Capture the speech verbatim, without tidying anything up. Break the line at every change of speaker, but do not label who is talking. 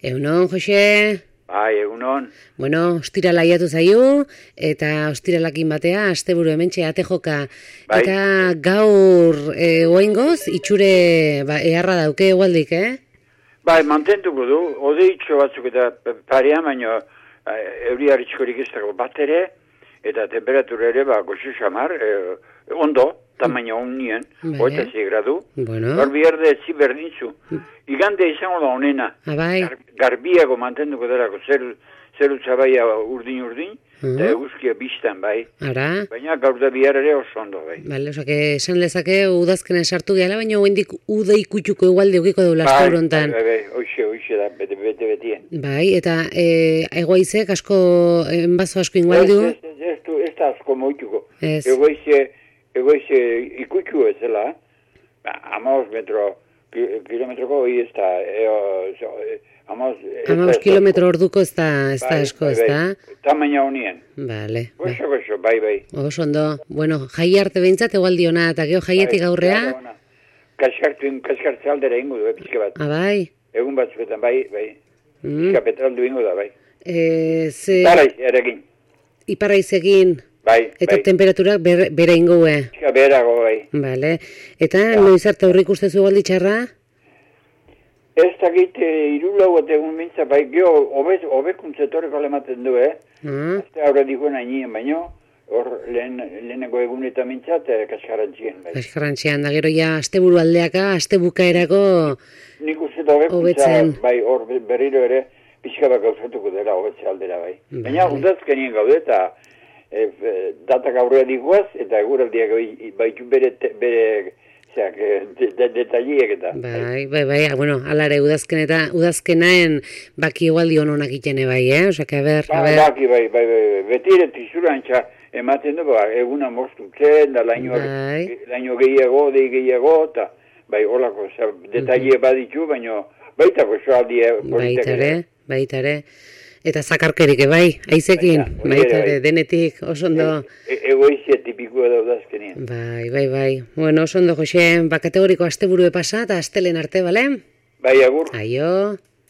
Egunon, Jose?
Bai, egunon.
Bueno, ostirala iatu zaiu, eta ostiralakin batea, asteburu hementxe ate joka.
Bai.
Eta gaur e, oaingoz, itxure ba, eharra dauke egualdik, eh?
Bai, mantentuko du, odeitxo batzuk eta parean, baino euri harritxkorik ez dago bat ere, eta temperatura ere, ba, goxo xamar, e, ondo, tamaina honien, hogeita sei gradu.
Bueno.
Gaur biharde zi berdintzu. Igande izango da honena.
Abai.
Gar, garbiago mantenduko delako, zeru, zeru txabaia urdin-urdin, eta eguzkia biztan, bai.
Ara.
Baina gaur da bihar ere oso ondo, bai.
Bale, osak, esan lezake udazkena sartu gehala, baina hoendik uda ikutxuko egualde ukiko deula
bai,
astaurontan.
Bai, bai, bai, hoxe, hoxe da, bete, bete, betien.
Bai, eta e, egoizek asko, enbazo asko ingualdu?
Ez, ez, ez, ez, ez da asko moituko.
Ez.
Egoize, egoize ikutxu ez zela, amaos metro, kilometroko hori ez da, amaos...
Amaos kilometro orduko ez da, ez da
bai,
asko, ez
bai,
da?
bai. Tamaina honien.
Bale.
Goxo, goxo, bai, bai.
Oso ondo. Bueno, jai arte behintzat egualdi ona, eta geho jaietik
Bai,
aurrea?
ona. Kaskartu, kaskartze aldera ingo du, eh, pixka bat.
Ah, bai?
Egun batzuetan, bai, bai.
Mm.
Pixka petraldu ingo da, bai.
E, ze...
Tarai, erekin.
Iparraizegin,
Bai,
eta
bai.
temperaturak ber, bere ingoe.
Pixka beherago, bai.
Bale. Eta noiz arte aurrik ustezu egualdi txarra?
Ez dakit irulau eta egun mintza, bai, geho, hobekuntza etorreko alematen du, eh?
Ah,
Azte aurre dikoen ainien, baino, hor lehen, leheneko egun eta mintzat, eh, kaskarrantzien, bai.
kaskarrantxean, da gero ja, asteburu aldeaka, astebukaerako
Nik uste da hobekuntza,
hobetzen.
bai, hor berriro ere, pixka bat gauzatuko dela hobetze aldera, bai.
Vale.
Baina, udazkenien gaude, eta e, e, datak aurrea dikoaz, eta eguraldiak bai- baitu bere, te- bere, zeak, de, de, detaliek eta.
Bai, bai, bai, ah, bueno, alare udazken eta udazkenaen baki egualdi hononak itene bai, eh? Osa, que a ber, a
Ba,
ber.
baki, bai, bai, bai, bai, beti ere tizurantza ematen du, ba, eguna moztutzen, da laino,
Bai.
laino gehiago, dei gehiago, eta, bai, holako, oza, detaile baditu, baino, baita gozoaldi, eh,
Baita ere, baita ere. Eta zakarkerik, bai, aizekin,
Baita, hori
baita
ere,
ere,
bai.
denetik, oso ondo.
E, egoizia tipikoa da udazkenien.
Bai, bai, bai. Bueno, oso ondo, Jose, ba, kategoriko asteburu pasa eta astelen arte, bale?
Bai, agur.
Aio.